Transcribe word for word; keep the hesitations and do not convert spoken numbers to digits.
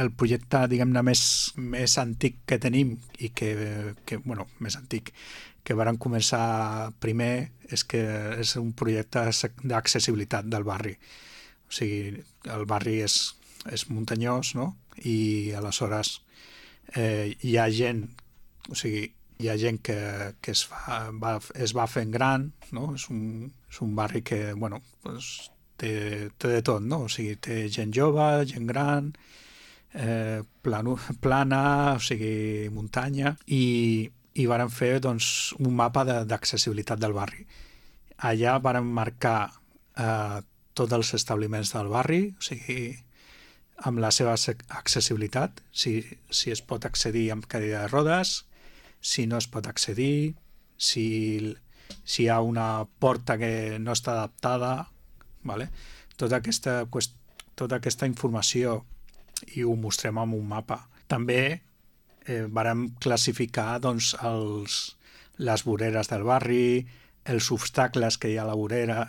el projecte, diguem-ne, més, més antic que tenim i que, que, bueno, més antic, que varen començar primer, és que és un projecte d'accessibilitat del barri. O sigui, el barri és, és muntanyós, no? I aleshores eh, hi ha gent, o sigui, hi ha gent que, que es, fa, va, es va fent gran, no? És un, és un barri que, bueno, pues, té, té de tot, no? O sigui, té gent jove, gent gran, eh, plano, plana, o sigui, muntanya, i, i varen fer, doncs, un mapa d'accessibilitat del barri. Allà varen marcar eh, tots els establiments del barri, o sigui, amb la seva accessibilitat, si, si es pot accedir amb cadira de rodes, si no es pot accedir, si, si hi ha una porta que no està adaptada, vale? Tota aquesta, tota aquesta informació i ho mostrem amb un mapa. També eh, vàrem classificar doncs, els, les voreres del barri, els obstacles que hi ha a la vorera,